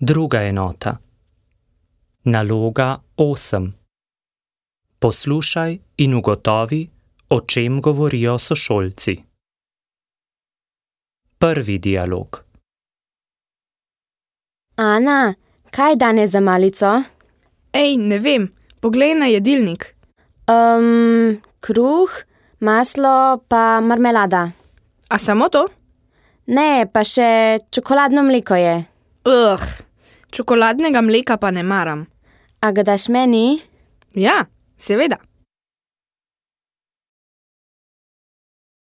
Druga enota. Naloga 8. Poslušaj in ugotovi, o čem govorijo sošolci. Prvi dialog. Ana, kaj je danes za malico? Ej, ne vem, poglej na jedilnik. Kruh, maslo pa marmelada. A samo to? Ne, pa še čokoladno mleko je. Čokoladnega mleka pa ne maram. A ga daš meni? Ja, seveda.